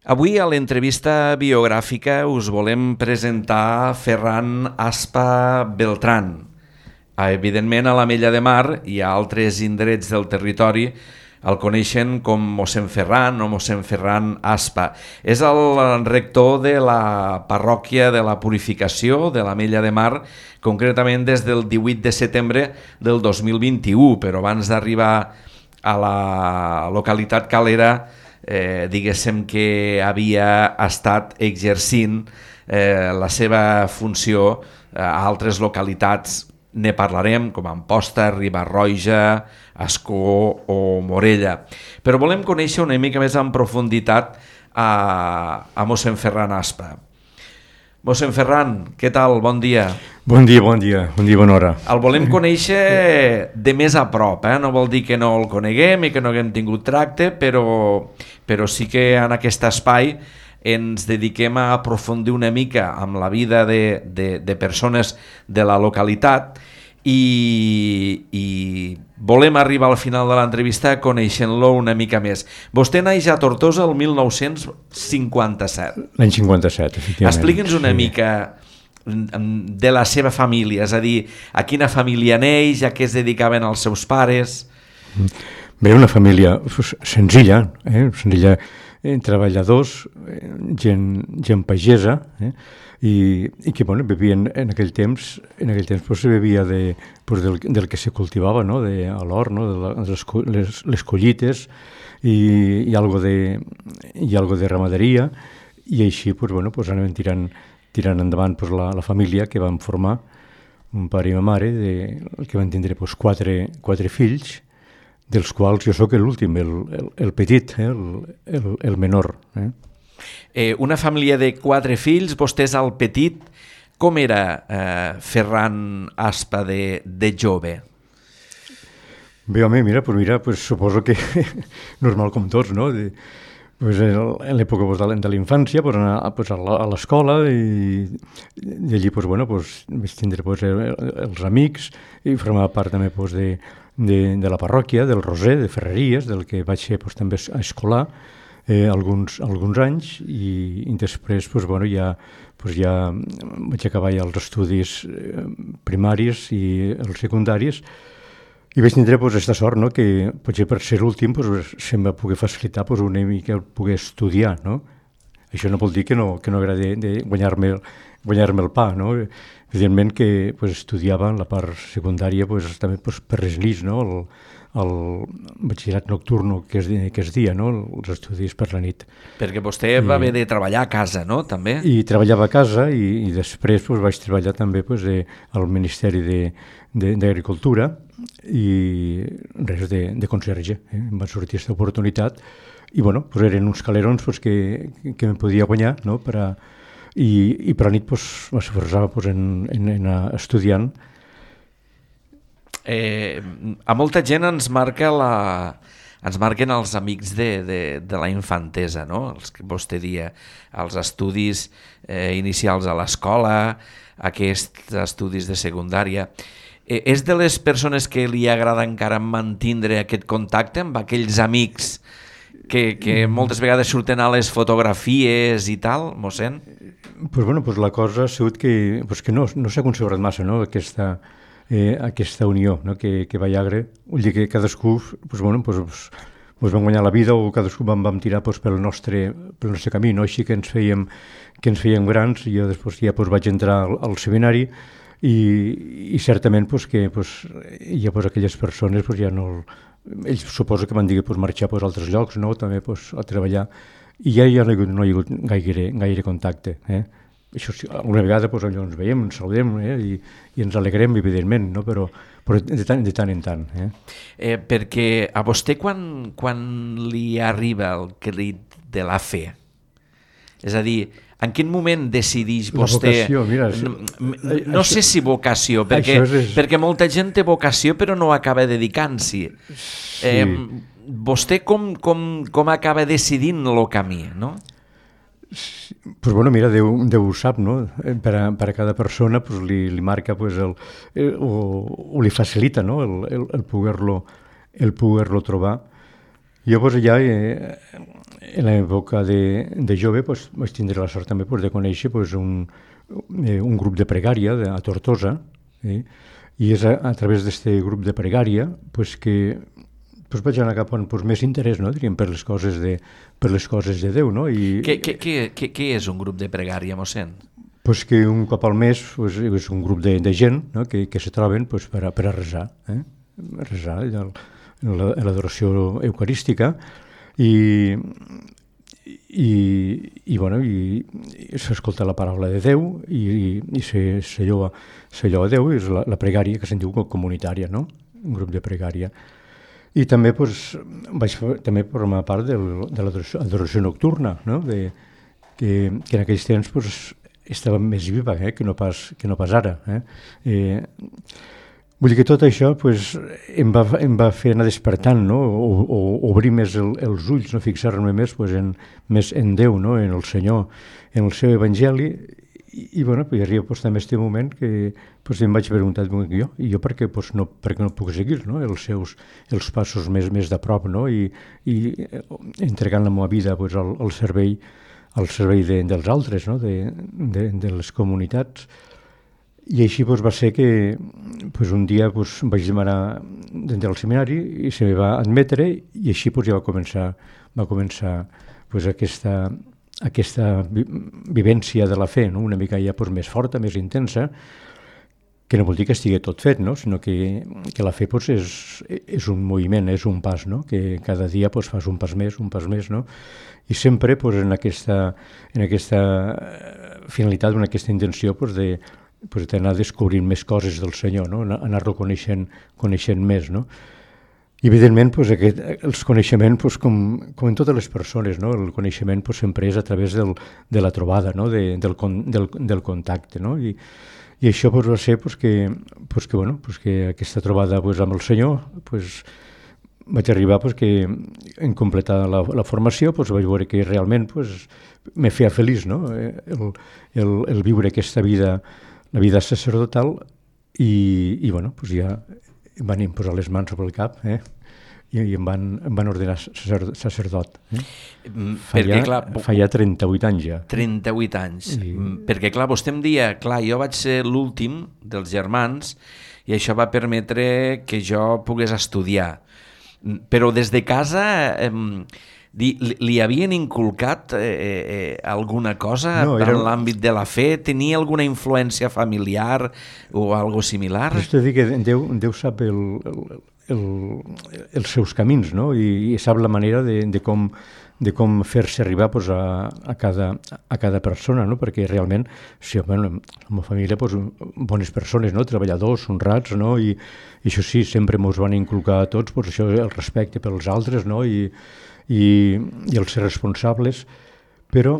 Avui a l'entrevista biogràfica us volem presentar Ferran Aspa Beltrán. Evidentment a l'Ametlla de Mar i a altres indrets del territori el coneixen com mossèn Ferran o mossèn Ferran Aspa. És el rector de la parròquia de la Purificació de l'Ametlla de Mar, concretament des del 18 de setembre del 2021, però abans d'arribar a la localitat calera diguéssim que havia estat exercint la seva funció a altres localitats. Ne parlarem, com Amposta, Riba-roja, Ascó o Morella. Però volem conèixer una mica més en profunditat a mossèn Ferran Aspa. Mossèn Ferran, què tal? Bon dia. Bon dia, bona hora. El volem conèixer de més a prop, no vol dir que no el coneguem i que no haguem tingut tracte, però sí que en aquest espai ens dediquem a aprofundir una mica amb la vida de persones de la localitat i volem arribar al final de l'entrevista coneixent-lo una mica més. Vostè naix a Tortosa el 1957. L'any 57, efectivament. Expliqui'ns una mica de la seva família, és a dir, a quina família neix, a què es dedicaven els seus pares. Bé, una família senzilla, senzilla, treballadors, gent pagesa, i que bueno, vivien en aquell temps pues, se bevia del que se cultivava, no? A l'hort, no? De les collites i algo de ramaderia, i així pues, bueno, pues, anaven tirant endavant pues, la família que van formar, un pare i una mare, que van tindre pues, quatre fills, dels quals jo sóc l'últim, el petit, el menor. Una família de 4 fills, vostè és el petit. Com era Ferran Aspa de jove? Bé, home, mira, suposo que normal com tots, no? En l'època de la infància, anar a l'escola i allí vaig tindre els amics i formava part també de la parròquia, del Roser, de Ferreries, del que vaig ser també escolar alguns anys i després ja vaig acabar ja els estudis primaris i els secundaris i vaig tindre aquesta sort, no? Que potser per ser l'últim se'm va poder facilitar una mica poder estudiar, no? Això no vol dir que no agradi de guanyar-me el pa, no? Evidentment que estudiava en la part secundària també per les nits, no? El batxillerat nocturno que es dia, no? Els estudis per la nit. Perquè vostè va haver de treballar a casa, no? També? I treballava a casa i després vaig treballar també al Ministeri d'Agricultura i res de conserge. Em va sortir aquesta oportunitat i eren uns calerons que me podia guanyar, no? I per la nit m'esforçava en anar estudiant. A molta gent ens marquen els amics de la infantesa, no? Els que vostè dia, els estudis inicials a l'escola, aquests estudis de secundària. És de les persones que li agrada encara mantindre aquest contacte amb aquells amics que moltes vegades surten a les fotografies i tal, mossèn? La cosa ha sigut que no s'ha considerat massa, no? Aquesta unió, no? Que va haver, vull dir que cadascú vam guanyar la vida o cadascú vam tirar pel nostre camí, no? Així que ens fèiem grans i jo després ja vaig entrar al seminari i certament que hi ha aquelles persones ja no... Ells suposo que van dir marxar a altres llocs, no? També a treballar i ja no hi ha hagut gaire contacte, Això sí, alguna vegada allò ens veiem, ens saludem i ens alegrem, evidentment, no? Però de tant en tant. Perquè a vostè quan li arriba el crit de la fe? És a dir, en quin moment decideix vostè... La vocació, mira... No sé si vocació, perquè molta gent té vocació però no acaba dedicant-s'hi. Sí. Vostè com acaba decidint el camí, no? Mira, Déu ho sap, no? Per a cada persona li marca o li facilita, no? el poder-lo trobar. Jo pues, ja en l'època de jove pues, vaig tindre la sort també pues, de conèixer pues, un grup de pregària a Tortosa, i és a través d'aquest grup de pregària pues, que pues, vaig anar cap on pues, més interès, no? Diríem, per les coses de Déu. No? Què és un grup de pregària, mossèn? Pues que un cop al mes pues, és un grup de gent, no? que se troben pues, per a resar, resar l'adoració eucarística i s'escolta la paraula de Déu i se lloa a Déu, és la pregària que se'n diu comunitària, no? Un grup de pregària. I també pues, vaig formar part de l'adoració nocturna, no? que en aquells temps pues, estava més viva que no pas ara. Vull dir que tot això pues, em va fer anar despertant, no? o obrir més els ulls, no? Fixar-me més, pues, més en Déu, no? En el Senyor, en el seu Evangeli, i bueno, pues, arriba pues, també aquest moment que pues, em vaig preguntar jo per què no puc seguir, no? els passos més de prop, no? I entregant la meva vida pues, al servei dels altres, no? de les comunitats. I així pues, va ser que pues, un dia pues, vaig demanar del seminari i se me va admetre i així pues, ja va començar pues, aquesta vivència de la fe, no? Una mica ja pues, més forta, més intensa, que no vol dir que estigui tot fet, no? Sinó que la fe pues, és un moviment, és un pas, no? Que cada dia pues, fas un pas més, no? I sempre pues, en aquesta finalitat, en aquesta intenció pues, d'anar descobrint més coses del Senyor, no? Anar-lo coneixent més, no? I evidentment pues, els coneixements pues, com en totes les persones, no? El coneixement pues, sempre és a través de la trobada, no? del contacte, no? I això pues, va ser pues, que aquesta trobada pues, amb el Senyor pues, vaig arribar pues, que en completar la formació pues, vaig veure que realment pues, me feia feliç, no? el viure aquesta vida, la vida sacerdotal, i bueno, pues ja em van imposar les mans sobre el cap i em van ordenar sacerdot. Fa ja 38 anys ja. 38 anys. Perquè clar, vostè em deia, jo vaig ser l'últim dels germans i això va permetre que jo pogués estudiar. Però des de casa li havien inculcat alguna cosa en l'àmbit de la fe? Tenia alguna influència familiar o algo similar? És a dir que Déu sap els seus camins, no? I sap la manera de com fer-se arribar pues, a cada persona, no? Perquè realment, la meva família, pues, bones persones, no? Treballadors, honrats, no? I això sí, sempre ens van inculcar a tots pues, això, el respecte pels altres, no? I els ser responsables, però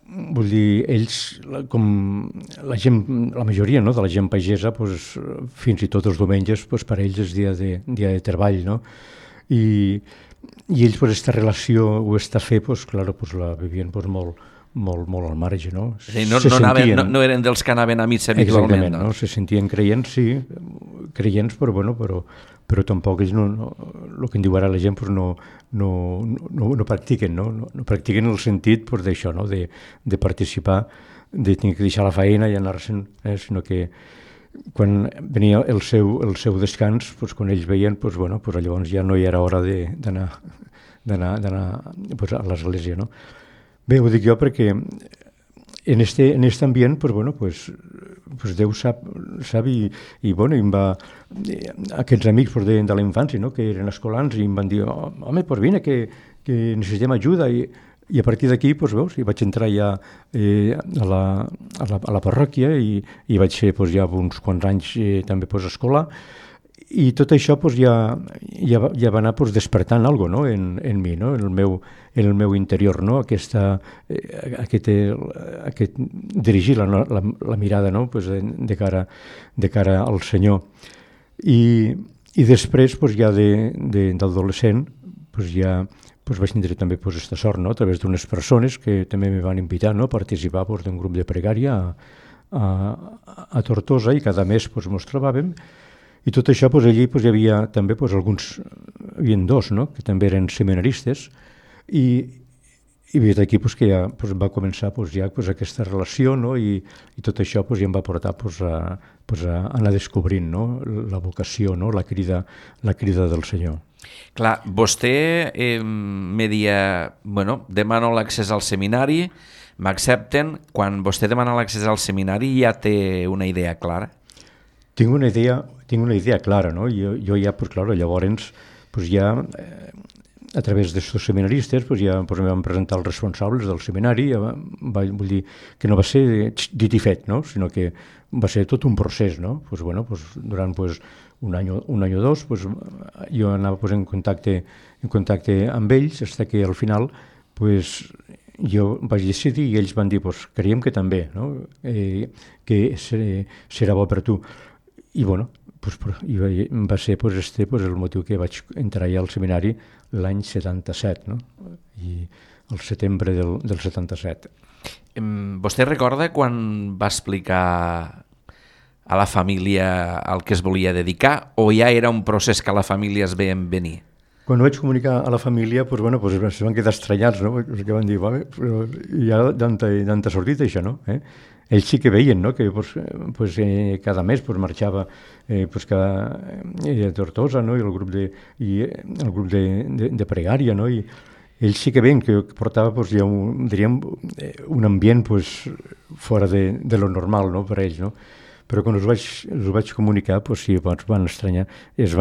vull dir, ells, com la gent, la majoria, no? De la gent pagesa, pues, fins i tot els diumenges, pues, per ells és dia de treball, no? I ells, pues, aquesta relació o aquesta fe, pues, clar, pues, la vivien pues, molt al marge, no? Sí, no eren dels que anaven a missa habitualment. Exactament, no? Se sentien creients, sí, creients, però bueno, però tampoc ells el que en diu ara la gent pues, no practiquen, no? No practiquen el sentit pues, d'això, no? De participar, de tenir que deixar la feina i anar-se'n, sinó que quan venia el seu descans, pues, quan ells veien, pues, bueno, pues, llavors ja no hi era hora d'anar pues, a l'església, no? Bé, ho dic jo perquè en este ambient, pues, bueno, pues Déu sap i bueno, em va, aquests amics pues, de la infància, no? Que eren escolans, i em van dir, home, pues vine, que necessitem ajuda, i a partir d'aquí, pues, veus, i vaig entrar ja a la parròquia i vaig ser pues, ja uns quants anys també pues, a escola, i tot això pues, ja va anar pues, despertant alguna cosa, no? en mi, no? En el meu interior, no? Aquest dirigir la mirada, no? Pues, de cara al Senyor. I després, pues, ja d'adolescent, pues, ja pues, vaig tindre també pues, aquesta sort, no? A través d'unes persones que també me van invitar, no? A participar pues, d'un grup de pregària a Tortosa, i cada mes pues, ens trobàvem. I tot això, doncs, allí doncs, hi havia també doncs, alguns, hi havia dos, no?, que també eren seminaristes, i des d'aquí doncs, que ja doncs, va començar doncs, ja doncs, aquesta relació, no?, i tot això doncs, ja em va portar doncs, a anar descobrint, no?, la vocació, no?, la crida del Senyor. Clar, vostè me dia, bueno, demano l'accés al seminari, m'accepten. Quan vostè demana l'accés al seminari ja té una idea clara? Tinc una idea clara, no? Jo ja, pues, claro, llavors, pues, ja, a través d'estos seminaristes, pues, ja pues, em van presentar els responsables del seminari, vull dir que no va ser dit i fet, no? Sinó que va ser tot un procés, no? Pues, bueno, pues, durant pues, un any o dos, pues, jo anava pues, en contacte amb ells, fins que al final pues, jo vaig decidir i ells van dir pues, creiem que també, no? Que serà bo per tu. I bueno, pues, va ser pues, el motiu que vaig entrar ja al seminari l'any 77, no? I el setembre del 77. Vostè recorda quan va explicar a la família al que es volia dedicar, o ja era un procés que la família es veien venir? Quan ho vaig comunicar a la família, pues, bueno, pues, es van quedar estranyats, no? Perquè van dir, vale, però hi ha tanta sortit això, no? Ells sí que veien, no?, que pues, cada mes pues, marxava pues, a Tortosa, no?, i el grup de pregària, no?, i ells sí que veien que portava pues, ja un ambient pues, fora de lo normal, no?, per ells, no? Però quan us vaig comunicar, pues, sí, es van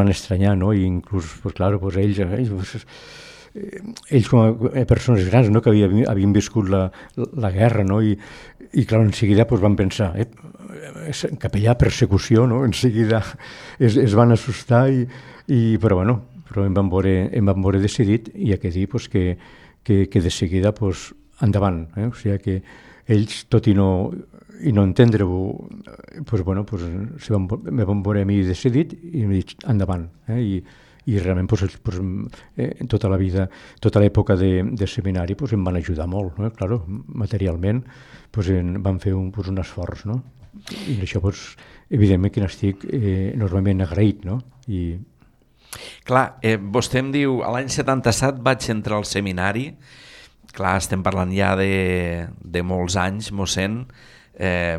estranyar, no?, i inclús, pues, claro, pues, ells com a persones grans, no?, que havien viscut la guerra, no?, i clar, en seguida pues, van pensar, capellà, persecució, no?, en seguida es van assustar, però bueno, em van veure decidit, i hi ha que dir pues, que de seguida pues, endavant, o sigui que ells, tot i no entendre-ho, pues, bueno, pues, me van veure a mi decidit i m'he dit endavant, i realment pues, tota la vida, tota l'època de seminari pues, em van ajudar molt, no? Claro, materialment pues, van fer un esforç, no? I això pues, evidentment que n'estic enormement agraït, no? Clar, vostè em diu, a l'any 77 vaig entrar al seminari, clar, estem parlant ja de molts anys, mossèn,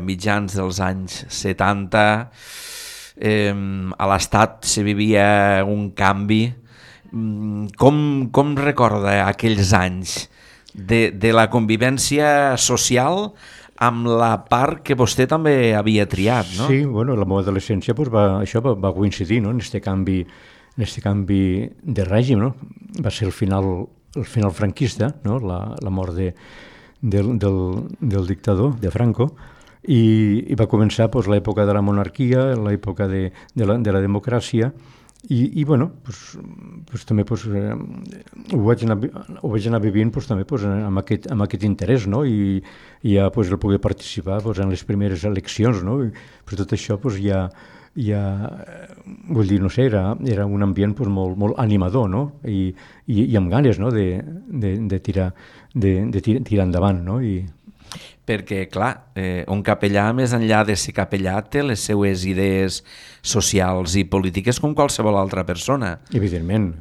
mitjans dels anys 70, a l'Estat se vivia un canvi. Com recorda aquells anys de la convivència social amb la part que vostè també havia triat, no? Sí, bueno, la meva adolescència pues, això va coincidir, no?, en aquest canvi de règim, no? Va ser el final franquista, no?, la mort del dictador, de Franco, i va començar pues, l'època de la monarquia, l'època de la democràcia, i bueno, pues, també pues, ho vaig anar vivint pues, també pues, amb aquest interès, no? I ja pues, el poder participar pues, en les primeres eleccions, no? Però tot això pues, ja vull dir, no sé, era un ambient pues, molt animador, no? I amb ganes, no?, de tirar endavant, no? Perquè, clar, un capellà, més enllà de ser capellà, té les seues idees socials i polítiques com qualsevol altra persona. Evidentment.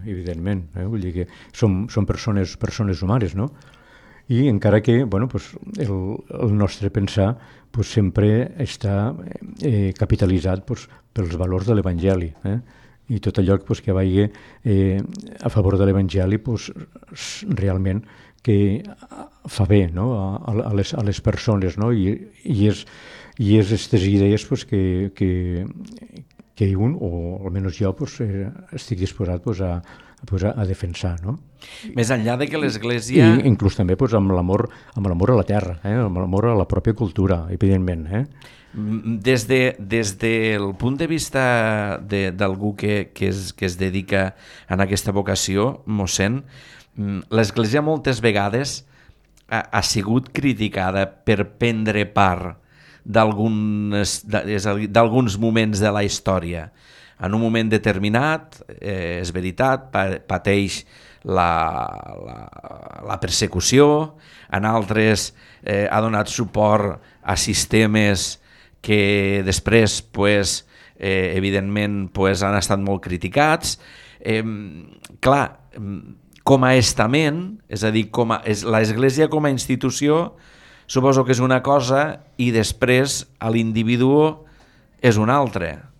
Vull dir que som persones humanes, no? I encara que, bueno, pues, el nostre pensar pues, sempre està capitalitzat pues, pels valors de l'Evangeli, i tot allò pues, que vagi a favor de l'Evangeli pues, realment que fa bé, no?, a les persones, no? I és aquestes idees pues, que un, o almenys jo, pues, estic disposat pues, a defensar, no? Més enllà de que l'Església... I inclús també pues, amb l'amor a la terra, amb l'amor a la pròpia cultura, evidentment. Des del punt de vista d'algú que es dedica a aquesta vocació, mossèn, l'Església moltes vegades ha sigut criticada per prendre part d'alguns moments de la història. En un moment determinat, és veritat, pateix la persecució, en altres ha donat suport a sistemes que després evidentment pues, han estat molt criticats. Clar, com a estament, és a dir, l'Església com a institució, suposo que és una cosa i després a l'individu és una altra.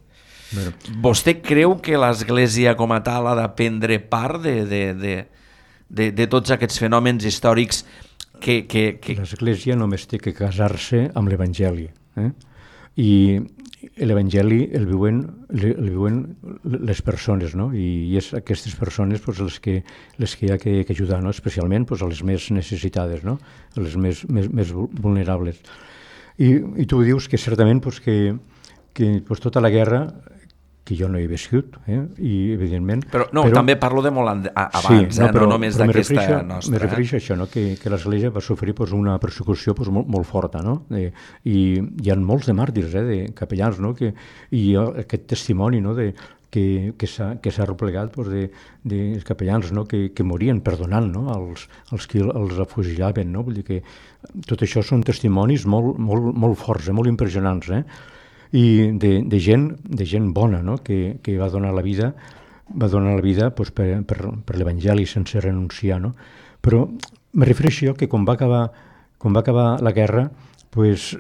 Bueno. Vostè creu que l'Església com a tal ha de prendre part de tots aquests fenòmens històrics que... L'Església només té que casar-se amb l'Evangeli. I l'Evangeli el viuen les persones, no? I és aquestes persones pues, les que hi ha que ajudar, no? Especialment pues, a les més necessitades, no? A les més vulnerables. I tu dius que certament pues, que pues, tota la guerra, que jo no he viscut, i evidentment... Però també parlo de molt abans, sí, no només d'aquesta nostra. Me refereixo a això, no? que l'Església va sofrir pues, una persecució pues, molt forta, no? I hi ha molts de màrtirs, de capellans, no? I aquest testimoni, no? que s'ha replegat pues, de capellans, no? que morien perdonant, no? els que els afugilaven. No? Vull dir que tot això són testimonis molt forts, molt impressionants, i de gent bona, no? que va donar la vida pues, per l'Evangeli sense renunciar, no? Però me refereixo que quan va acabar la guerra pues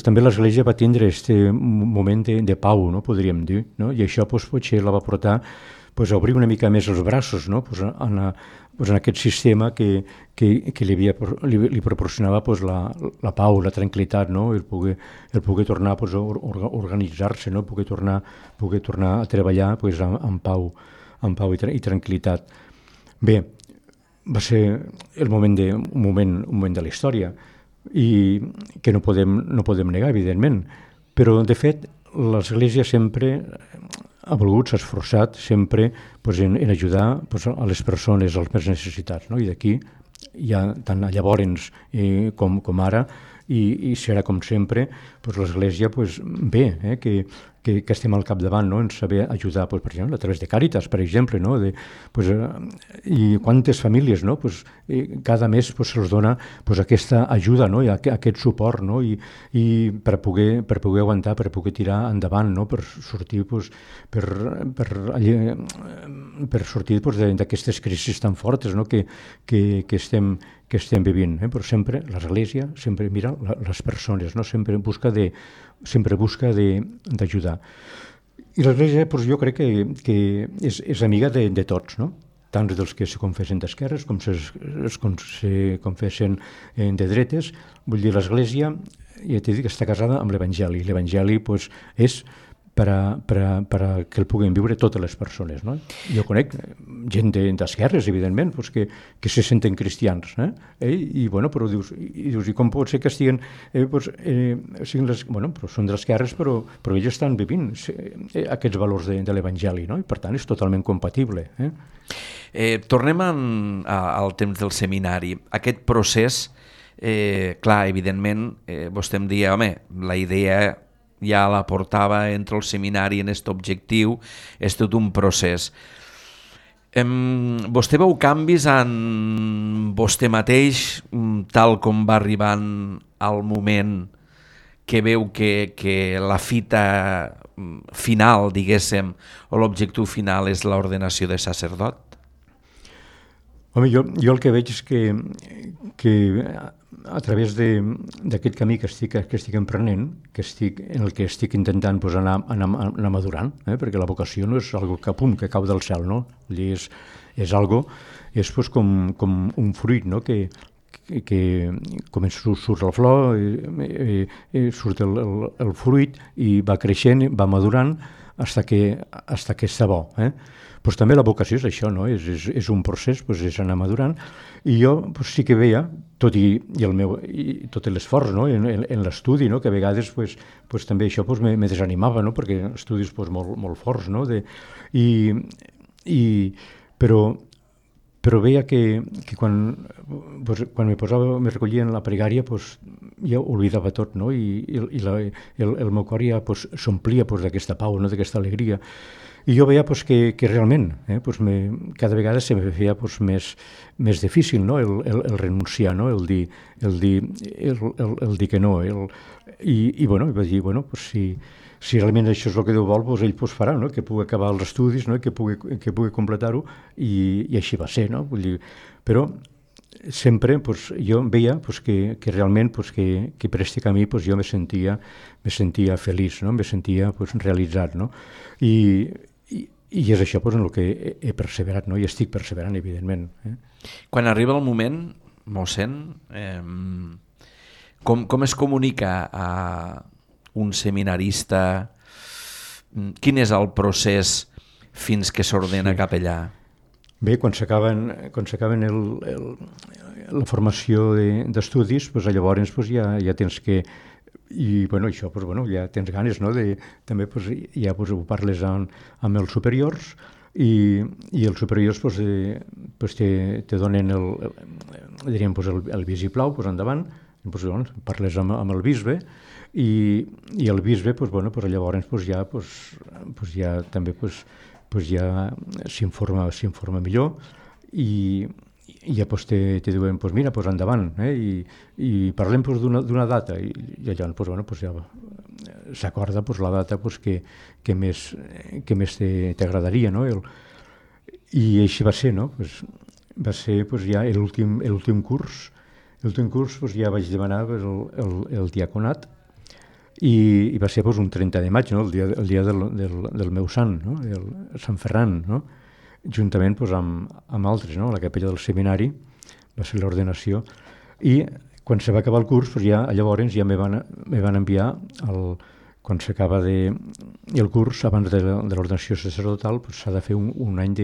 també l'Església va tindre aquest moment de pau, no? Podríem dir, no? I això pues, potser la va portar pues, a obrir una mica més els braços, no? Pues, en aquest sistema que li proporcionava pues, la pau, la tranquil·litat, no? el poder tornar pues, a organitzar-se, no? poder tornar a treballar pues, amb pau i tranquil·litat. Bé, va ser un moment de la història i que no podem negar, evidentment, però de fet l'Església sempre ha volgut, s'ha esforçat sempre pues, en ajudar pues, a les persones, als més necessitats, no? I d'aquí ja tant llavors com ara i serà com sempre pues, l'Església pues, bé, que estem al capdavant, no? En saber ajudar, pues, per exemple, a través de Càritas, per exemple, no? I quantes famílies, no? Pues, cada mes pues, se'ls dona pues, aquesta ajuda, no? I aquest suport, no? I per poder aguantar, per poder tirar endavant, no? Per sortir pues, per sortir pues, d'aquestes crisis tan fortes, no? que estem vivint, però sempre l'Església sempre mira les persones, no? sempre busca d'ajudar. I l'Església doncs, jo crec que és amiga de tots, no? Tant dels que se confessen d'esquerres com se confessen de dretes. Vull dir, l'Església, ja t'he dit que està casada amb l'Evangeli. L'Evangeli doncs, és per a que el puguin viure totes les persones. No? Jo conec gent d'esquerres, evidentment, doncs que se senten cristians. I però dius, i com pot ser que estiguin... però són d'esquerres, però ells estan vivint aquests valors de l'Evangeli, no? I per tant és totalment compatible. Tornem al temps del seminari. Aquest procés, clar, evidentment, vostè em deia, la idea ja la portava entre el seminari en aquest objectiu, és tot un procés. Vostè veu canvis en vostè mateix, tal com va arribant al moment que veu que la fita final, diguéssim, o l'objectiu final és l'ordenació de sacerdot? Home, jo el que veig és que a través d'aquest camí que estic emprenent, en el que estic intentant pues, anar madurant, perquè la vocació no és algo que cau del cel, no? És algo, és pues, com un fruit, no? Que comença, surt la flor, surt el fruit i va creixent, va madurant fins que està bo. Pues també la vocació és això, no? És un procés, pues, és anar madurant, i jo pues, sí que veia, tot l'esforç, no? en l'estudi, no? Que a vegades pues, també això pues, me desanimava, no? Perquè estudis pues, molt forts, no? Però veia que quan me recollia en la pregària pues, ja oblidava tot, no? El meu cor ja s'omplia d'aquesta pau, no? D'aquesta alegria. I jo veia que realment cada vegada se me feia més difícil, no? el renunciar, no? el dir que no. I vaig dir, si realment això és el que Déu vol, ell farà, no? Que pugui acabar els estudis, no? Que pugui completar-ho, i així va ser. No? Vull dir, però sempre jo veia que realment que per aquest camí jo me sentia feliç, no? Me sentia realitzat. No? I és això en el que he perseverat, no? I estic perseverant, evidentment. Quan arriba el moment, mossèn, com es comunica a un seminarista? Quin és el procés fins que s'ordena capellà? Bé, quan s'acaben la formació d'estudis, llavors ja tens que... I això, ja tens ganes, no? També ja ho parles amb els superiors, i els superiors te donen el vistiplau, endavant, parles amb el bisbe, i el bisbe llavors ja també ja s'informa millor, i ja te diuen, mira, endavant, i parlem d'una data, i llavors ja s'acorda la data que més t'agradaria, no? I així va ser, no? Va ser ja l'últim curs. L'últim curs ja vaig demanar el diaconat, i va ser un 30 de maig, no? El dia del meu sant, no? El Sant Ferran, no? Juntament amb altres, no? La capella del seminari, va ser l'ordenació, i quan se va acabar el curs, llavors ja me van enviar, quan s'acaba el curs, abans de l'ordenació sacerdotal, s'ha de fer un any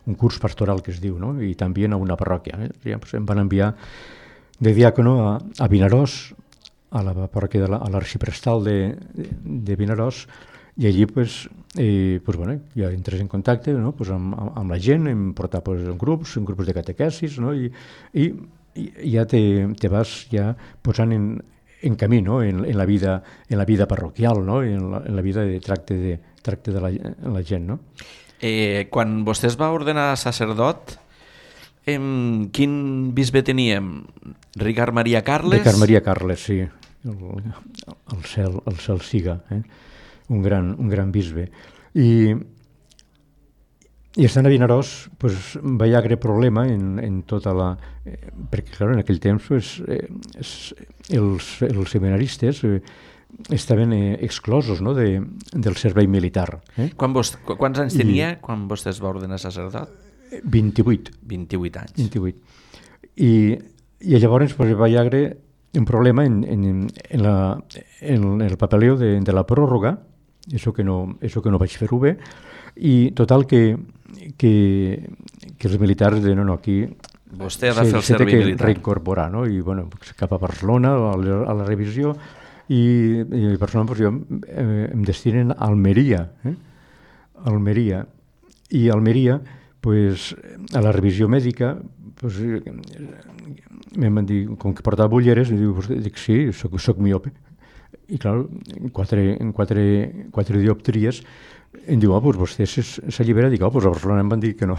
un curs pastoral, que es diu, no? I també a una parròquia. Ja em van enviar de diàcono a Vinaròs, a la parròquia a l'arxiprestal de Vinaròs, i allí ja entres en contacte, no? Amb la gent, em portar en grups de catequesis, no? I ja te vas ja posant en camí, no? En la vida parroquial, no? En la vida de tracte de la gent. No? Quan vostè es va ordenar sacerdot, quin bisbe teníem? Ricard Maria Carles? Ricard Maria Carles, sí. El cel siga, un gran bisbe. I estant a Vinaròs va haver problema en tota la... Perquè, clar, en aquell temps els seminaristes estaven exclosos, no? Del servei militar. Quants anys tenia quan vostè es va ordenar sacerdot? 28. 28 anys. 28. I llavors va haver un problema en el papeleo de la pròrroga, això que no vaig fer-ho bé, i total que els militars de aquí vostè ha de fer el servei militar. S'ha de reincorporar, no? I cap a Barcelona a la revisió, i personalment jo em destinen a Almeria, i a Almeria a la revisió mèdica em van dir, com que portava ulleres, dic sí, soc miope. I clar, en quatre dioptries em diu, vostè s'allibera. Dic, a Barcelona em van dir que no.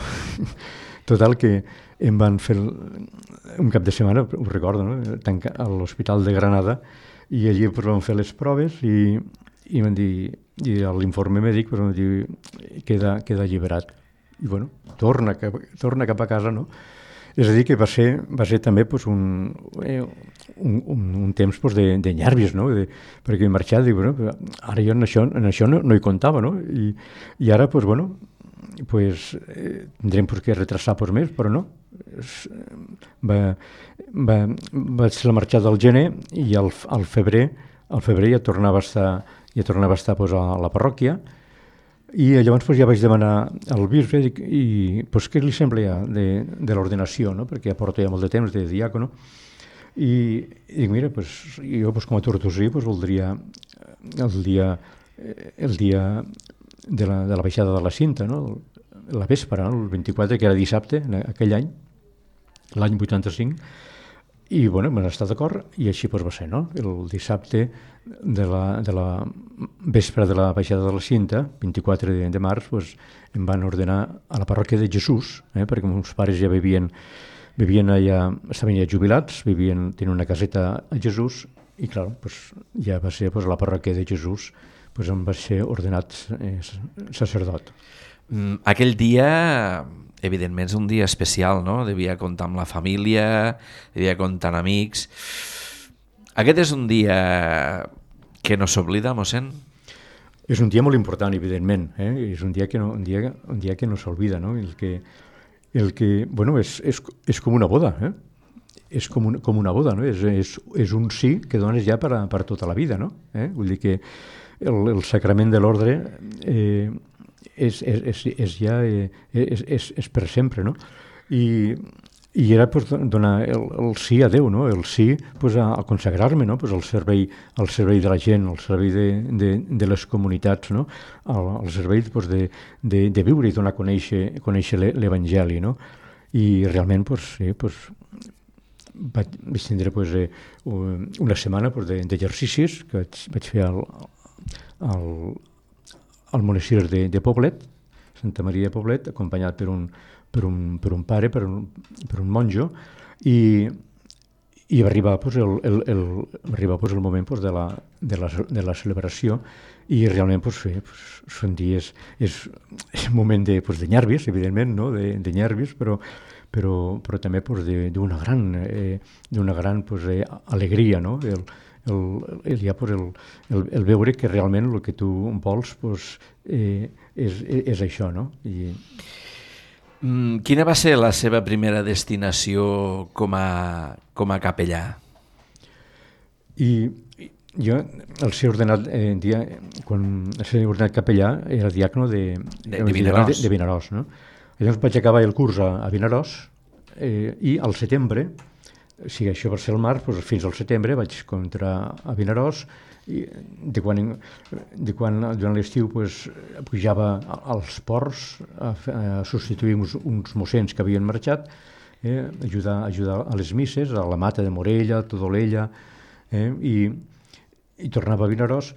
Total, que em van fer un cap de setmana, ho recordo, no? A l'Hospital de Granada, i allí vam fer les proves, i van dir, i l'informe mèdic van dir, queda alliberat. I torna cap a casa, no? És a dir, que va ser també un temps de nervis, no? Perquè he marxat, dic, ara jo en això no hi comptava, no? I ara, tindrem que retrasar més, però no. Va ser la marxada del gener, i al febrer ja tornava a estar a la parròquia. I llavors ja vaig demanar al bisbe i què li sembla ja de l'ordenació, no? Perquè ja porto ja molt de temps de diàcono, i dic, mira, jo com a tortosí voldria el dia de la baixada de la cinta, no? La vespre, el 24, que era dissabte, aquell any, l'any 85, I bueno, vam estar d'acord i així va ser, no? El dissabte de la vespre de la baixada de la cinta, 24 de març, em van ordenar a la parròquia de Jesús, perquè meus pares ja vivien allà, estaven ja jubilats, tenien una caseta a Jesús i clar, ja va ser a la parròquia de Jesús, em va ser ordenat sacerdot. Aquell dia, evidentment, és un dia especial, no? Devia comptar amb la família, devia comptar amb amics. Aquest és un dia que no s'oblida, mossèn? És un dia molt important, evidentment. És un dia que no s'oblida, no? Bueno, és com una boda, és com una boda, no? És un sí que dones ja per tota la vida, no? Vull dir que el sacrament de l'ordre és per sempre, no? I era donar el sí a Déu, no? El sí a consagrar-me, no? Al servei de la gent, al servei de les comunitats, no? Al servei de viure i donar a conèixer l'Evangeli, no? I realment vaig tindre una setmana d'exercicis que vaig fer al monestir de Poblet, Santa Maria de Poblet, acompanyat per un pare, per un monjo, i va arribar el moment de la celebració i realment són dies, és un moment de nervis, evidentment, no? de nervis, però també d'una gran alegria, no? El veure que realment el que tu vols és això, no? Quina va ser la seva primera destinació com a capellà? Jo, al ser ordenat capellà, era diàcono de Vinaròs, no? Llavors vaig acabar el curs a Vinaròs i al setembre, si això va ser el març, fins al setembre vaig entrar a Vinaròs i durant l'estiu pujava als ports a substituir uns mossens que havien marxat, ajudar a les misses, a la Mata de Morella, a Todolella, i tornava a Vinaròs.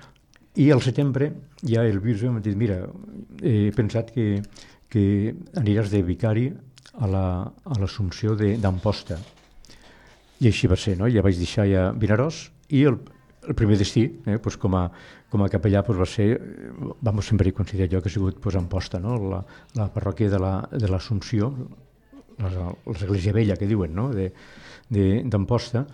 I al setembre ja el bisbe m'ha dit, mira, he pensat que aniràs de vicari a l'Assumpció d'Amposta. I així va ser, no? Ja vaig deixar ja Vinaròs i el primer destí, com a capellà, va ser, sempre he considerat jo que ha sigut Amposta, no? La parròquia de l'Assumpció, l'església vella que diuen, no? d'Amposta.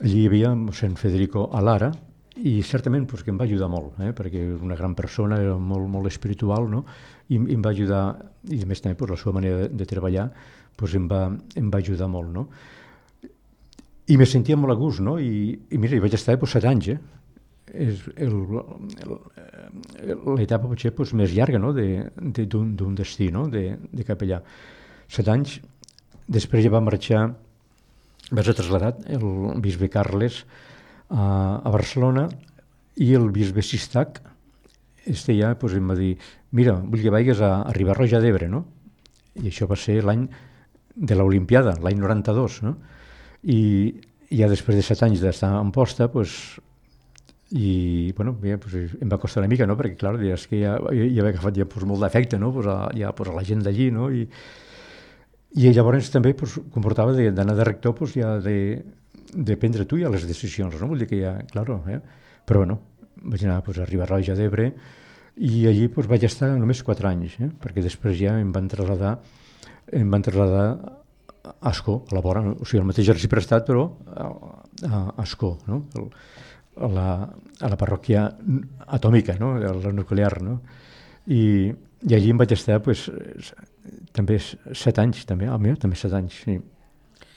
Allí hi havia mossèn Federico Alara i certament que em va ajudar molt, perquè era una gran persona, era molt, molt espiritual, no? I em va ajudar, i a més també la seva manera de treballar em va ajudar molt, no? I me sentia molt a gust, no? I mira, hi vaig estar 7 anys, És l'etapa potser més llarga, no? d'un destí, no? de capellà. 7 anys, després ja va marxar, va ser traslladat el bisbe Carles a Barcelona i el bisbe Sistac ja em va dir, mira, vull que vagis a Riba-roja d'Ebre, no? I això va ser l'any de l'Olimpiada, l'any 92, no? I ja després de 7 anys d'estar en posta, em va costar una mica, no? Perquè clar, és que ja havia agafat molt d'afecte, no? a la gent d'allí, no? I llavors també comportava d'anar de rector de prendre tu ja les decisions, no? Vull dir que ja, claro, però bueno, vaig anar a Riba-roja d'Ebre i allí vaig estar només 4 anys, perquè després ja em van traslladar a Ascó, a la vora, o sigui, el mateix exercici prestat, però a Ascó, no? A la parròquia atòmica, no? A la nuclear, no? I allí em vaig estar també 7 anys, també 7 anys, sí.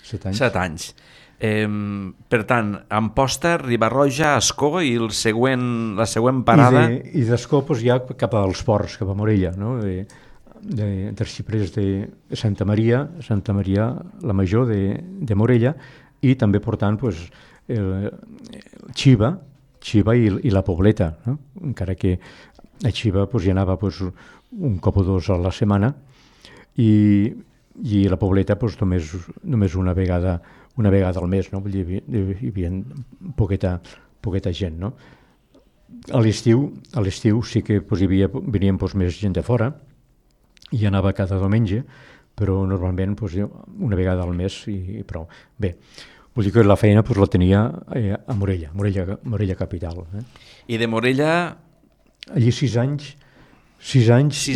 7 anys. 7 anys. Per tant, Amposta, Riba-roja, Ascó i la següent parada... I d'Ascó ja cap als ports, cap a Morella, no? D'arxiprers de Santa Maria, la Major de Morella, i també portant Xiva i la Pobleta, no? Encara que a Xiva hi anava un cop o dos a la setmana i la Pobleta només una vegada una vegada al mes, no? Vull dir, hi havia poqueta gent, no? A l'estiu sí que pues, venien pues, més gent de fora i anava cada diumenge, però normalment pues, una vegada al mes i prou. Bé, vull dir que la feina pues, la tenia a Morella capital. I de Morella... Allí 6 anys i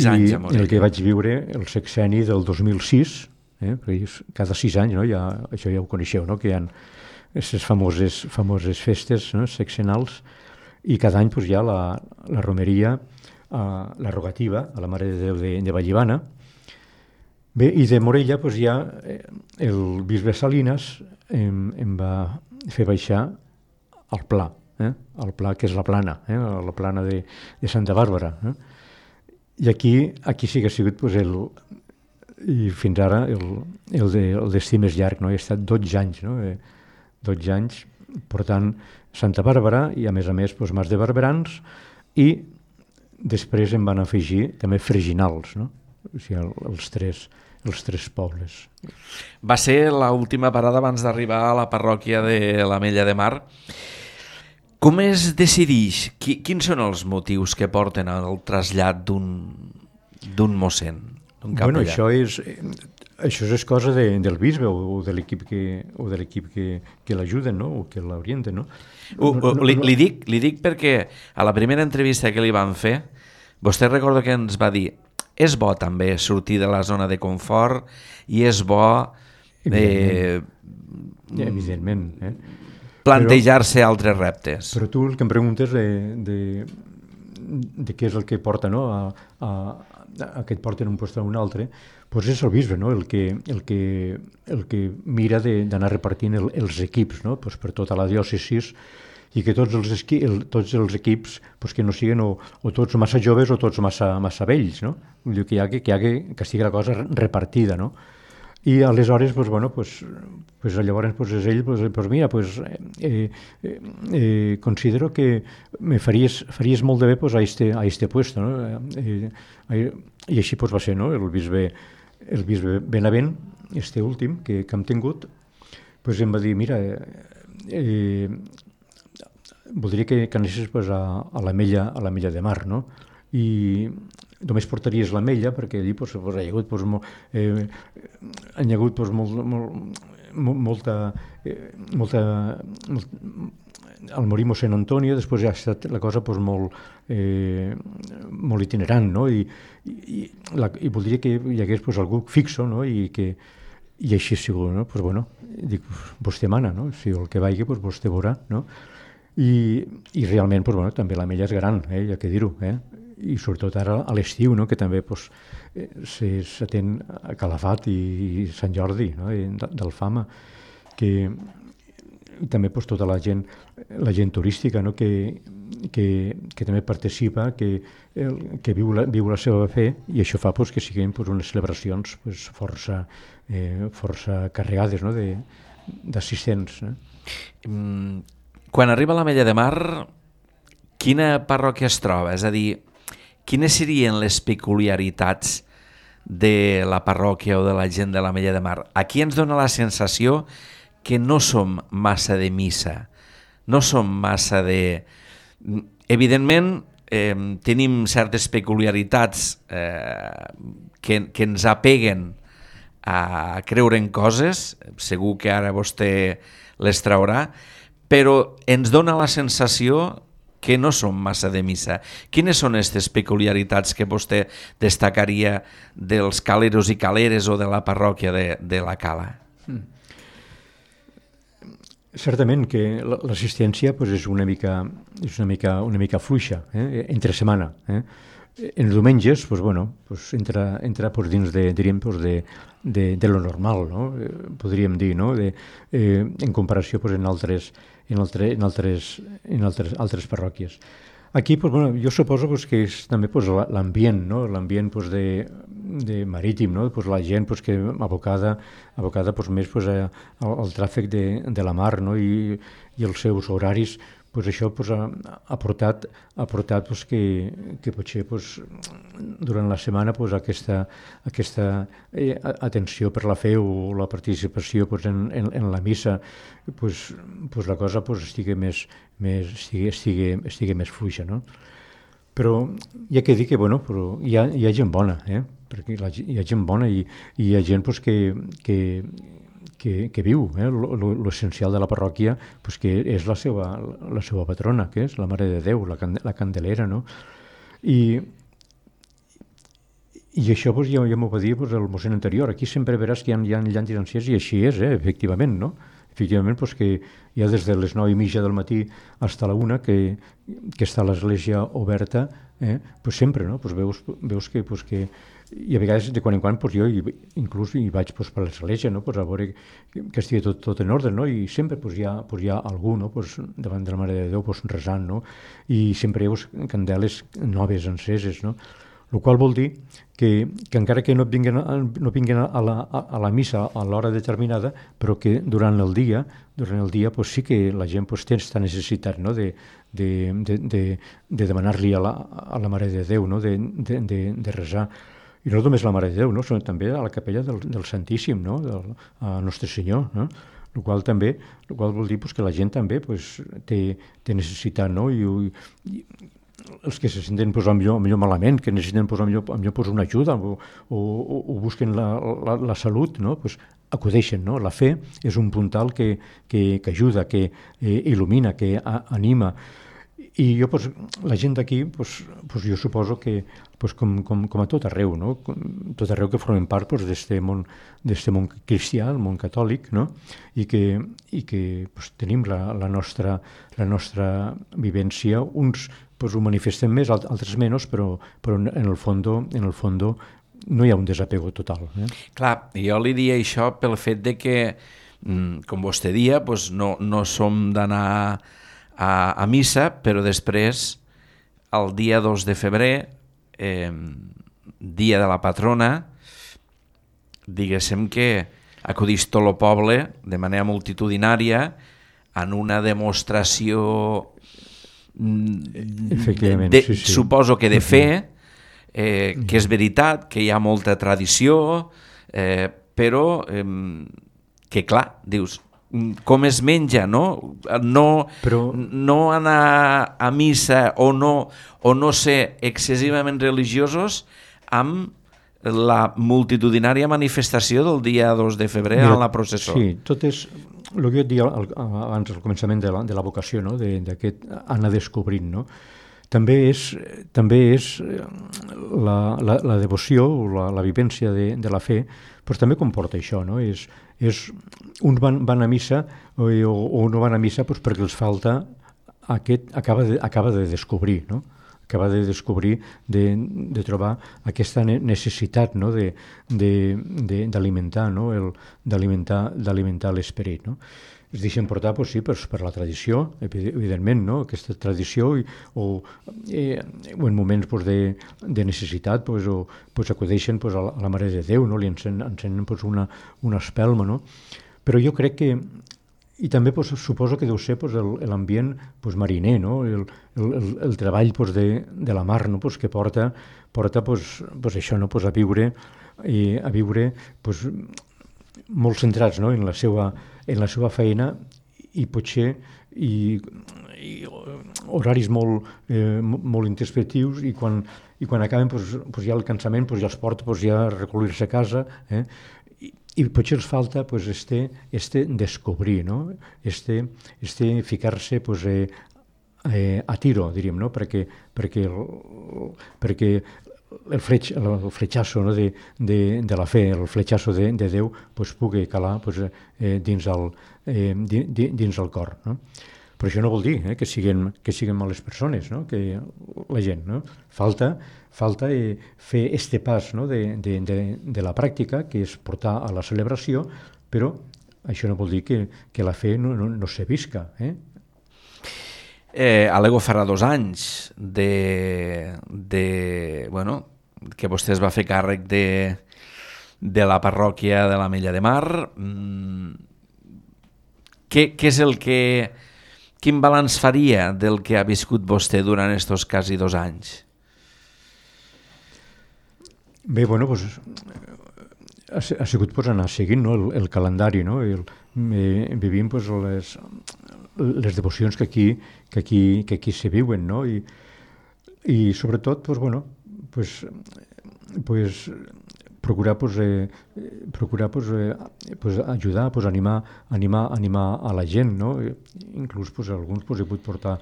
el que vaig viure el sexenni del 2006, perquè cada 6 anys, no, això ja ho coneixeu, no, que hi ha aquestes famoses festes, no, sexenals, i cada any pues, hi ha la romeria, la rogativa a la Mare de Déu de Vallivana. Bé, i de Morella pues, ja el bisbe Salinas em va fer baixar al Pla, el Pla que és la Plana, la Plana de Santa Bàrbara. I aquí sí que ha sigut pues, i fins ara el destí més llarg, no? He estat 12 anys, no? 12 anys portant Santa Bàrbara i a més pues, Mas de Barberans, i després em van afegir també Freginals, no? O sigui, els tres pobles. Va ser l'última parada abans d'arribar a la parròquia de l'Ametlla de Mar. Com es decideix? Quins són els motius que porten al trasllat d'un mossèn, d'un capellà? Bueno, això és cosa del bisbe o de l'equip que l'ajuden, no? O que l'orienten, no? Li dic perquè a la primera entrevista que li van fer, vostè recorda que ens va dir és bo també sortir de la zona de confort i és bo evidentment, plantejar-se altres reptes. Però tu el que em preguntes de què és el que porta, no? a que et porten un lloc a un altre, doncs és el bisbe, no? el que mira d'anar repartint els equips, no? Pues per tota la diòcesis, i que tots els equips pues, que no siguin o tots massa joves o tots massa vells, no? Vull dir que estigui la cosa repartida, no? I aleshores, pues, bueno, llavors pues, és ell, pues, mira, pues, considero que me faries molt de bé pues, a este puesto, no? I així pues, va ser, no? El bisbe Benavent, este últim que hem tingut, pues, em va dir, mira, voldria que anessis pues, a l'Ametlla de Mar, no? I només portaries l'ametlla perquè allí pues, hi ha hagut, pues, molta al morir mossèn Antonio, després ha estat la cosa pues, molt itinerant, no? I voldria que hi hagués pues, algú fixo, no? I així ha sigut, no? Pues, bueno, dic, vostè mana, no? Si el que vagi, pues, vostè veurà, no? I realment pues, bueno, també l'ametlla és gran, ja que dir-ho, i sobretot ara a l'estiu, no? Que també pues, s'atén a Calafat i Sant Jordi, no? d'Alfama, que també pues, tota la gent turística, no? que també participa, que viu la seva fe, i això fa pues, que siguin pues, unes celebracions pues, força carregades, no? d'assistents. Quan arriba a l'Ametlla de Mar, quina parròquia es troba? És a dir, quines serien les peculiaritats de la parròquia o de la gent de l'Ametlla de Mar? Aquí ens dona la sensació que no som massa de missa, no som massa de... Evidentment, tenim certes peculiaritats que ens apeguen a creure en coses, segur que ara vostè les traurà, però ens dona la sensació que no som massa de missa. Quines són aquestes peculiaritats que vostè destacaria dels caleros i caleres o de la parròquia de la Cala? Certament que l'assistència pues, és una mica fluixa, entre setmana. En els diumenges pues, bueno, pues, entra pues, dins de lo normal, no? Podríem dir, no? En comparació pues, en altres parròquies. Aquí pues, bueno, jo suposo pues, que és també pues, l'ambient, no? L'ambient pues, de marítim, no? Pues, la gent pues, que abocada pues, més pues, al tràfic de la mar, no? I els seus horaris pues això pues, ha portat pues, que potser pues, durant la setmana pues, aquesta atenció per la fe o la participació pues, en la missa pues, la cosa pues, estigui més fluixa, no? Però hi ha que dir que bueno, però hi ha gent bona, perquè hi ha gent bona i hi ha gent pues, que viu l'essencial de la parròquia, pues, que és la seva patrona, que és la Mare de Déu, la Candelera, no? I això pues, ja m'ho va dir pues, el mossèn anterior. Aquí sempre veràs que hi ha llantes ancians i així és, efectivament, no? Efectivament, pues, que ja des de les 9:30 del matí fins a la 1 que està l'església oberta, pues sempre, no? Pues veus que, pues, que i a vegades de quan en quan pues, jo inclús hi vaig pues, per l'església, no? Pues, a veure que estigui tot en ordre, no? I sempre pues, hi ha algú, no? Pues, davant de la Mare de Déu pues, resant, no? I sempre hi ha candeles noves enceses, no? El qual vol dir que encara que no vinguen a la missa a l'hora determinada, però que durant el dia pues, sí que la gent pues, té aquesta necessitat, no? de demanar-li a la Mare de Déu, no? de resar. I no només la Mare de Déu, no? Sinó també a la capella del Santíssim, no? A Nostre Senyor, no? El qual vol dir pues, que la gent també pues, té necessitat, no? I els que se senten pues, millor malament, que necessiten pues, millor pues, una ajuda o busquen la salut, no? Pues, acudeixen, no? La fe és un puntal que ajuda, que il·lumina, que anima. I jo, pues, la gent d'aquí, pues, jo suposo que pues, com a tot arreu, no? Tot arreu que formen part pues, d'este món cristià, el món catòlic, no? I que pues, tenim la nostra vivència. Uns pues, ho manifesten més, altres menys, però en el fondo no hi ha un desapego total. Clar, jo li dia això pel fet de que, com vostè dia, pues, no som d'anar a missa, però després, el dia 2 de febrer, dia de la patrona, diguéssim que acudís tot el poble de manera multitudinària en una demostració sí. Suposo que de fe, que és veritat, que hi ha molta tradició, però que clar, dius, com es menja, no? No anar a missa o no ser excessivament religiosos amb la multitudinària manifestació del dia 2 de febrer a la processó. Sí, tot és el que jo et deia abans al començament de la vocació, no? D'aquest anar descobrint, no? També és la devoció o la vivència de la fe, però també comporta això, no? Uns van a missa o no van a missa doncs perquè els falta acaba de descobrir, no? Acaba de descobrir, de trobar aquesta necessitat, no? d'alimentar, no? d'alimentar l'esperit, no? Es deixen portar, sí, per la tradició, evidentment, no? Aquesta tradició, o en moments de necessitat acudeixen a la Mare de Déu, no? Li encenen una espelma, no? Però jo crec que, i també suposo que deu ser l'ambient mariner, no? El treball de la mar, no? Que porta això, no? A viure molt centrats, no? en la seva feina i potser horaris molt introspectius i quan acaben ja el cansament ja els porta ja a recollir-se a casa, i potser els falta este descobrir, no? este ficar-se a tiro, diríem, no? perquè el fletxasso, no? de la fe, el fletxasso de Déu pugui calar dins el cor, no? Però això no vol dir que siguin males persones, no? Que la gent, no? Falta fer este pas, no? de la pràctica, que és portar a la celebració, però això no vol dir que la fe no se visca. Alego farà 2 anys que vostè es va fer càrrec de la parròquia de l'Ametlla de Mar. Què és el que quin balanç faria del que ha viscut vostè durant aquests quasi 2 anys? Bé, bueno, doncs, ha sigut anar seguint, no, el calendari, no? Vivim pues, les devocions que aquí se viuen, no? I sobretot pues, bueno, pues, procurar ajudar, animar a la gent, no? Inclús alguns he pogut portar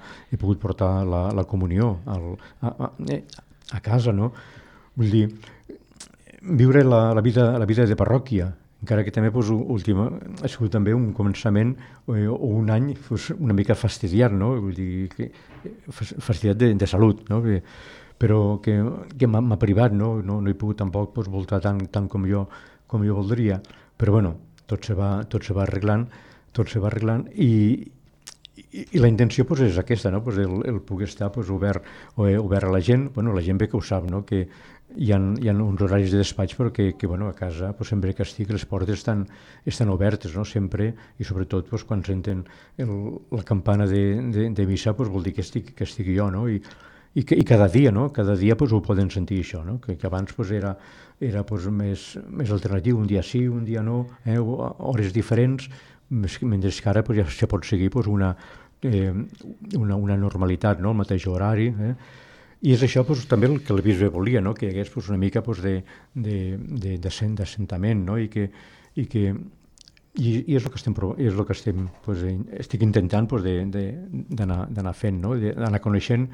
la comunió a casa, no? Vull dir, viure la vida de parròquia, encara que també ha sigut també un començament o un any una mica fastidiat, no? Vull dir, fastidiat de salut, no? Però que m'ha privat, no he pogut tampoc voltar tant com jo voldria, però bueno, tot se va arreglant i la intenció és aquesta, no? El poder estar obert a la gent, la gent bé que ho sap, no? Que hi ha uns horaris de despatx però que a casa sempre que estic les portes estan obertes, no? Sempre, i sobretot quan senten la campana de missa vol dir que estic jo, no? I cada dia, no? Cada dia ho poden sentir això, no? Que abans era més alternatiu, un dia sí, un dia no, hores diferents, mentre que ara ja se pot seguir una normalitat, no? El mateix horari, i és això també el que el bisbe volia, no? Que hi hagués una mica d'assentament, no? I és el que estic intentant d'anar fent, no? D'anar coneixent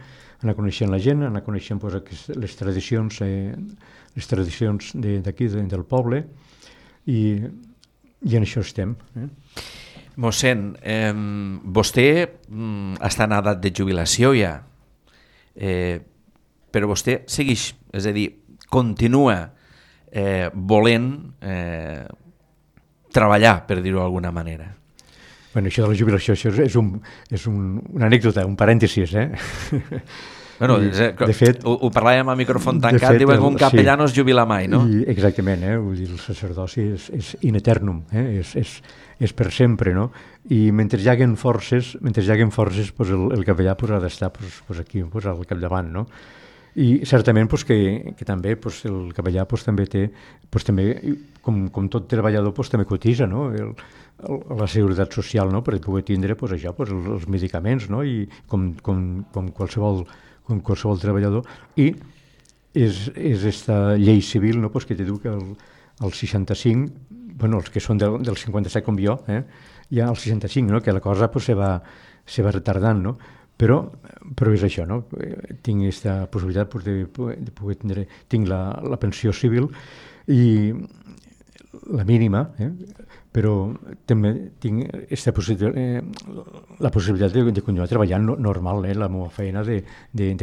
la gent, anar coneixent les tradicions d'aquí, del poble, i en això estem. Mossèn, vostè està en edat de jubilació ja, però vostè segueix, és a dir, continua volent treballar, per dir-ho d'alguna manera. Bueno, això de la jubilació és una anècdota, un parèntesis, Bueno, de fet, ho parlàvem a micròfon tancat, diuen que un capellà no es jubila mai, no? Exactament, vull dir, el sacerdoci és in eternum, és per sempre, no? I mentre hi haguen forces, el capellà ha d'estar aquí, al capdavant, no? I certament que també el capellà també té, com tot treballador, també cotitza, no? La seguretat social, no? Per poder tindre això, els medicaments, no? I com qualsevol treballador. I és aquesta llei civil, no? Que te diu que el 65, els que són del 57 com jo, ja el 65, no? Que la cosa se va retardant, no? Però és això, no? Tinc aquesta possibilitat de poder tindre... Tinc la pensió civil i la mínima, però també tinc la possibilitat de continuar treballant normal, la meva feina de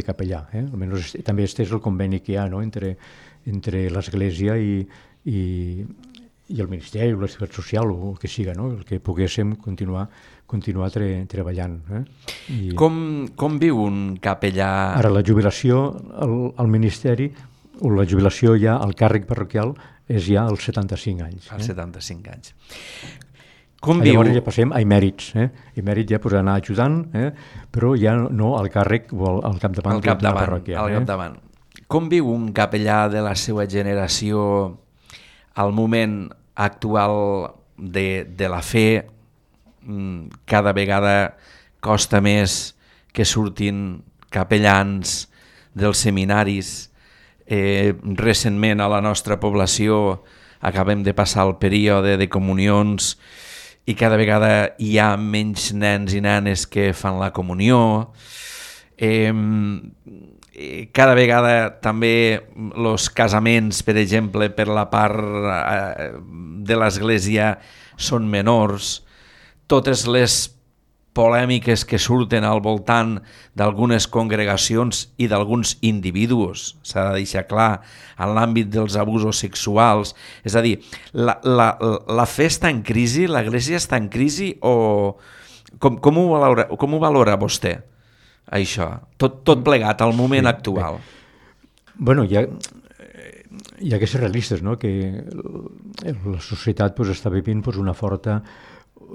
capellà. Almenys també és el conveni que hi ha, no? Entre l'Església i el Ministeri, la Seguretat Social, o el que siga, no? El que poguéssim continuar treballant. Com viu un capellà? Ara, la jubilació al Ministeri, o la jubilació ja al càrrec parroquial, és ja als 75 anys. Als 75 anys. Llavors ja passem a emèrits. Emèrit ja anar ajudant, però ja no al càrrec o al capdavant de la parròquia. Com viu un capellà de la seva generació al moment actual de la fe? Cada vegada costa més que surtin capellans dels seminaris. Recentment a la nostra població acabem de passar el període de comunions i cada vegada hi ha menys nens i nenes que fan la comunió. Cada vegada també els casaments, per exemple, per la part de l'Església són menors. Totes les polèmiques que surten al voltant d'algunes congregacions i d'alguns individus, s'ha de deixar clar, en l'àmbit dels abusos sexuals. És a dir, la fe està en crisi, l'Església està en crisi, o com ho valora vostè, això? Tot plegat al moment actual. Bueno, hi ha que ser realistes, no? Que la societat està vivint una forta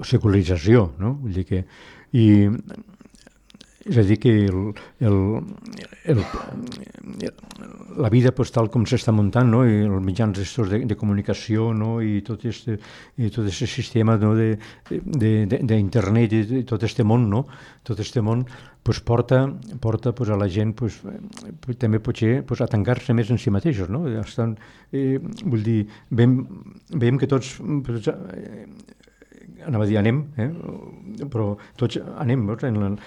secularització, no? Vull dir que... I és a dir, que el, la vida pues, tal com s'està muntant, no? I els mitjans de comunicació, no? I tot aquest sistema, no? d'internet i tot aquest món, no? Tot aquest món pues, porta pues, a la gent pues, també potser pues, a tancar-se més en si mateixos, no? Estan, vull dir, veiem que tots anava a dir anem, però tots anem en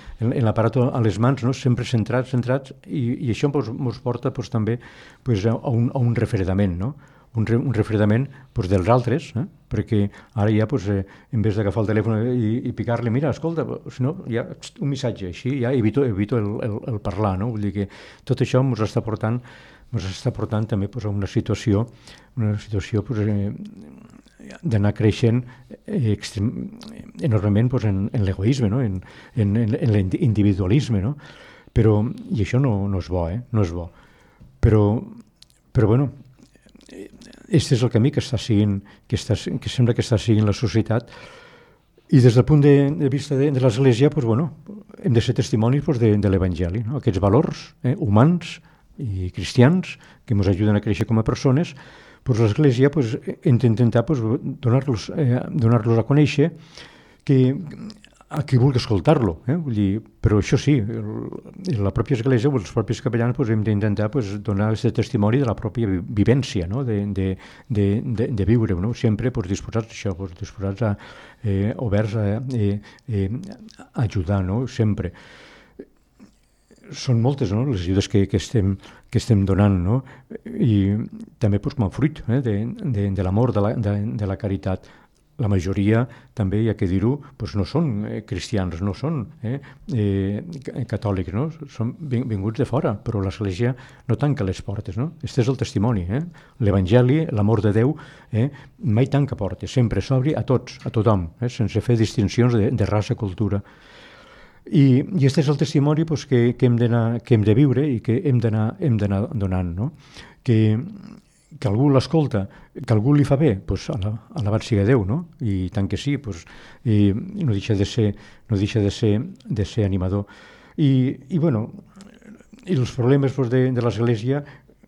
l'aparat a les mans, no? Sempre centrats, i això ens porta pues, també pues, a un refredament, no? Un refredament pues, dels altres, perquè ara ja, pues, en vez d'agafar el telèfon i picar-li, mira, escolta, no, ja, un missatge, així ja evito el parlar, no? Vull dir que tot això ens està portant també pues, a una situació pues, d'anar creixent enormement pues, en l'egoisme, no? en l'individualisme, no? I això no és bo, no és bo. Però bueno, aquest és el camí que sembla que està seguint la societat, i des del punt de vista de l'Església pues, bueno, hem de ser testimonis pues, de l'Evangeli, no? Aquests valors humans i cristians que ens ajuden a créixer com a persones, pues l'Església pues, intentar pues, donar-los a conèixer a qui vulgui escoltar-lo. Vull dir, però això sí, la pròpia Església o els propis capellans pues, hem d'intentar pues, donar aquest testimoni de la pròpia vivència, no? de viure, no? Sempre pues, disposats a això, pues, disposats a oberts a ajudar, no? Sempre. Són moltes, no? Les ajudes que estem donant, no? I també pues, com a fruit de l'amor, de la caritat. La majoria, també hi ha que dir-ho, pues, no són cristians, no són catòlics, no? Són vinguts de fora, però l'Església no tanca les portes, no? Este és el testimoni, l'Evangeli, l'amor de Déu, mai tanca portes, sempre s'obri a tots, a tothom, sense fer distincions de raça, cultura. I aquest és el testimoni pues, que hem de viure i que hem d'anar donant, no? Que algú l'escolta, que algú li fa bé, pues, alabat siga Déu, no? I tant que sí, pues, i no deixa de ser animador. I bueno, i els problemes pues, de l'Església...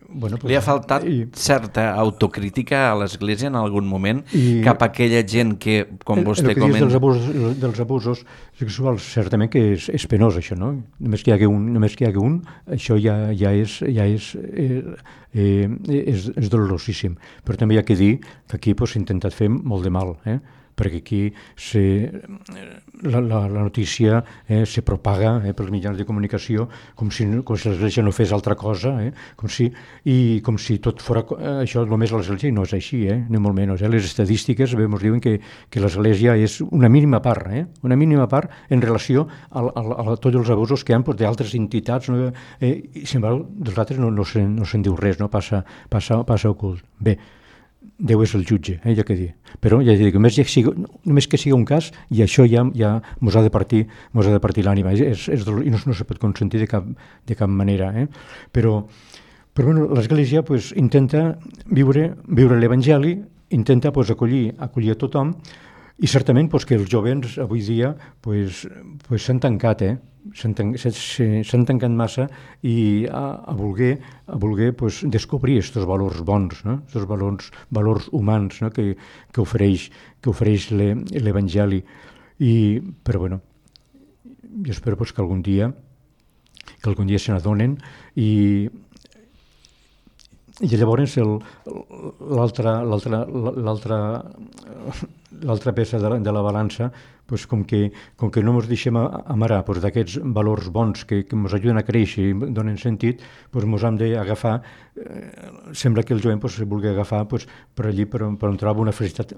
Bueno, pues, li ha faltat certa autocrítica a l'Església en algun moment cap a aquella gent que, com vostè comenta... El que dius dels abusos sexuals, certament que és penós, això, no? Només que hi hagi un, això ja és dolorosíssim. Però també hi ha que dir que aquí s'ha intentat fer molt de mal, perquè aquí la notícia se propaga pels mitjans de comunicació com si l'Església no fes altra cosa, com si tot fos això només a l'Església, i no és així, ni molt menys. Les estadístiques ens diuen que l'Església és una mínima part en relació a tots els abusos que hi ha d'altres entitats, i sin embargo dels altres no se'n diu res, no passa ocult. Bé, Déu és el jutge, ja que dir. Però ja dic, només que sigui un cas, i això ja mos ha de partir l'ànima, i no se pot consentir de cap manera. Però bueno, l'Església pues, intenta viure l'Evangeli, intenta pues, acollir a tothom, i certament pues, que els jovens avui dia pues, s'han tancat, s'han tancat massa i a voler pues, descobrir aquests valors bons, no? Aquests valors humans, no? que ofereix l'Evangeli. Però bueno, jo espero pues, que algun dia se n'adonen i llavors l'altra peça de la balança, pues, com que no ens deixem amarar pues, d'aquests valors bons que ens ajuden a créixer i donen sentit, pues, ens hem d'agafar, sembla que el jovent pues, vulgui agafar pues, per allí per on troba una felicitat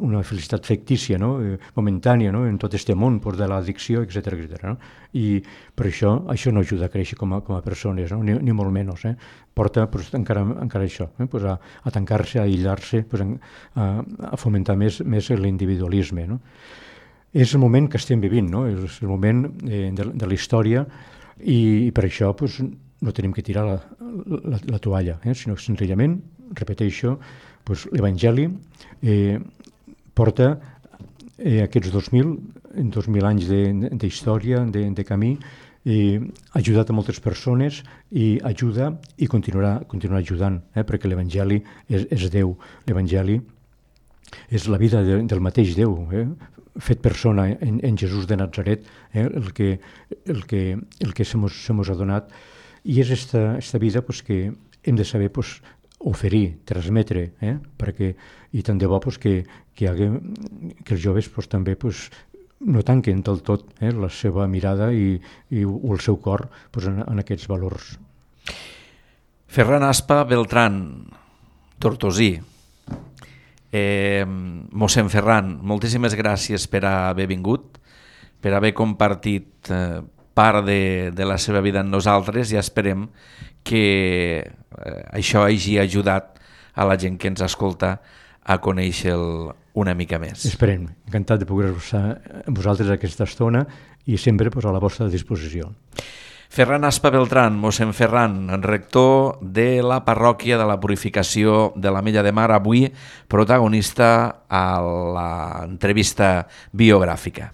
fictícia, no? Momentània, no? En tot aquest món pues, de l'addicció, etc. No? I per això no ajuda a créixer com a persones, no? ni molt menys. Porta pues, encara això, pues, a tancar-se, a aïllar-se, pues, a fomentar més l'individualisme. No? És el moment que estem vivint, no? És el moment de la història, i per això pues, no tenim que tirar la toalla, sinó que senzillament, repeteixo, pues, l'Evangeli porta aquests 2000 anys d'història, de camí, ha ajudat a moltes persones i ajuda i continuarà ajudant, perquè l'Evangeli és Déu. L'Evangeli és la vida del mateix Déu, fet persona en Jesús de Nazaret, el que se mos ha donat. I és esta vida pues, que hem de saber pues, oferir, transmetre, perquè, i tant de bo pues, que els joves pues, també pues, no tanquen del tot la seva mirada i el seu cor pues, en aquests valors. Ferran Aspa Beltrán, tortosí. Mossèn Ferran, moltíssimes gràcies per haver vingut, per haver compartit part de la seva vida amb nosaltres, i esperem que això hagi ajudat a la gent que ens escolta a conèixer-lo una mica més. Esperem, encantat de poder estar amb vosaltres aquesta estona i sempre a la vostra disposició. Ferran Aspa Beltrán, mossèn Ferran, rector de la parròquia de la Purificació de l'Ametlla de Mar, avui protagonista a l'entrevista biogràfica.